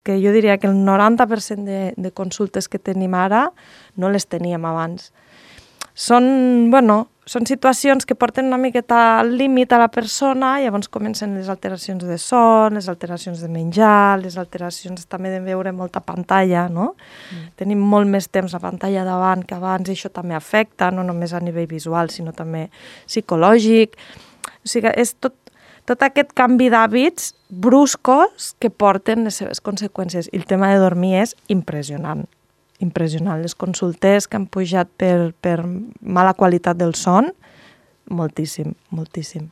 que jo diria que el 90% de consultes que tenim ara no les teníem abans. Són situacions que porten una miqueta al límit a la persona i llavors comencen les alteracions de son, les alteracions de menjar, les alteracions també de veure molta pantalla, no? Tenim molt més temps a pantalla davant que abans i això també afecta, no només a nivell visual, sinó també psicològic. O sigui, és tot aquest canvi d'hàbits bruscos que porten les seves conseqüències. I el tema de dormir és impressionant. Impressionant. Les consultes que han pujat per mala qualitat del son, moltíssim, moltíssim.